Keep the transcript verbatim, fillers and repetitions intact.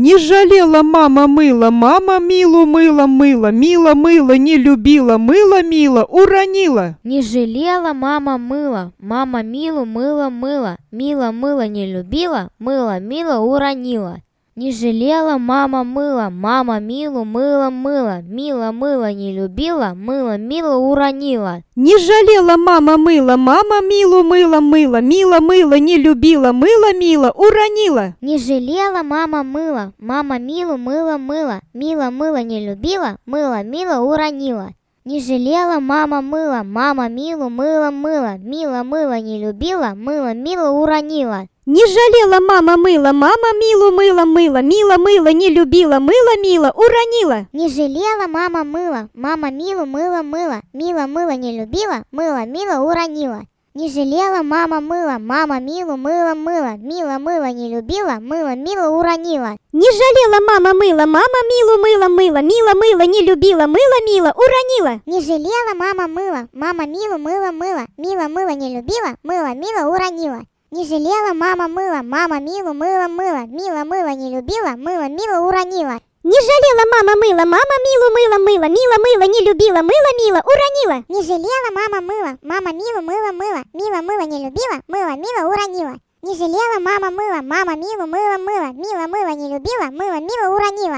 Не жалела мама мыла, мама милу мыла мыла, мила мыла, не любила, мыла мила, уронила. Не жалела мама мыла, мама милу мыла мыла, мила мыла не любила, мыла мила уронила. Не жалела мама мыла, мама милу мыла мыла, мила мыла не любила, мыла мила уронила. Не жалела мама мыла, мама милу мыла мыла, мила мыла, не любила, мыла мила, уронила. Не жалела мама мыла, мама милу мыла мыла, мила мыла не любила, мыла мила уронила. Не жалела мама мыла, мама милу мыла мыла, мила мыла не любила, мыла мила уронила. Не жалела мама мыла, мама милу мыла мыла, мила мыла, не любила, мыла мила, уронила. Не жалела мама мыла, мама милу мыла мыла, мила мыла не любила, мыла мила уронила. Не жалела мама мыла, мама милу мыла мыла, мила мыла не любила, мыла мила уронила. Не жалела мама мыла, мама милу мыла мыла, мила мыла, не любила, мыла мила, уронила. Не жалела мама мыла, мама милу мыла мыла, мила мыла не любила, мыла мила уронила. Не жалела мама мыла, мама милу мыла мыла, мила мыла не любила, мыла мила уронила. Не жалела мама мыла, мама милу мыла мыла, мила мыла, не любила, мыла мила, уронила. Не жалела мама мыла, мама милу мыла мыла, мила мыла не любила, мыла мила уронила. Не жалела мама мыла, мама милу мыла мыла, мила мыла не любила, мыла мила уронила.